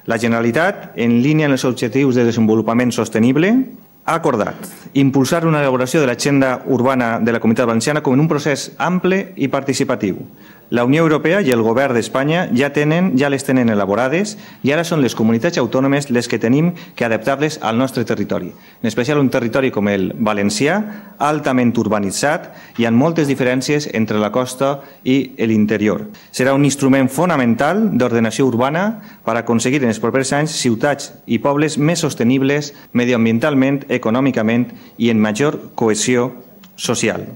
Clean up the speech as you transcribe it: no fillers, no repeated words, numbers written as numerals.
La Generalitat, en línia amb els objectius de desenvolupament sostenible, ha acordat impulsar una elaboració de l'agenda urbana de la Comunitat Valenciana com en un procés ample i participatiu. La Unió Europea i el Govern d'Espanya ja les tenen elaborades i ara són les comunitats autònomes les que tenim que adaptar-les al nostre territori, en especial un territori com el valencià, altament urbanitzat i amb moltes diferències entre la costa i l'interior. Serà un instrument fonamental d'ordenació urbana per aconseguir en els propers anys ciutats i pobles més sostenibles mediambientalment, econòmicament i en major cohesió social.